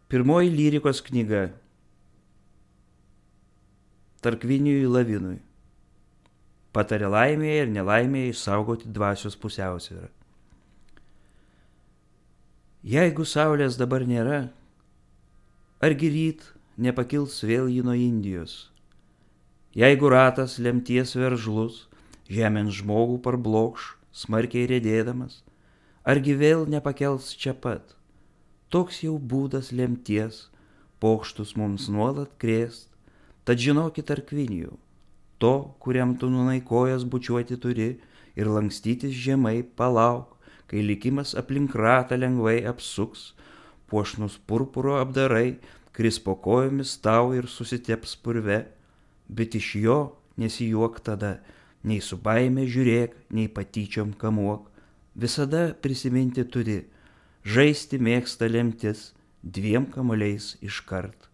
Pirmoji lyrikos knyga Tarkvinijui Lavinui patarė laimėje ir nelaimėje išsaugoti dvasios pusiausvyrą. Jeigu saulės dabar nėra, argi ryt nepakils vėl ji nuo Indijos? Jeigu ratas lemties veržlus žemėn žmogų parblokš, smarkiai riedėdamas, argi vėl nepakels čia pat? Toks jau būdas lemties, pokštus mums nuolat krėst, tad žinokit Tarkvinijau, to, kuriam tu nūnai kojas bučiuoti turi ir lankstytis žemai, palauk, kai likimas aplink ratą lengvai apsuks, puošnus purpuro apdarai kris po kojomis tau ir susiteps purve, bet iš jo nesijuok tada, nei su baime žiūrėk, nei patyčiom kamuok, visada prisiminti turi, žaisti mėgsta lemtis 2 kamuoliais iškart.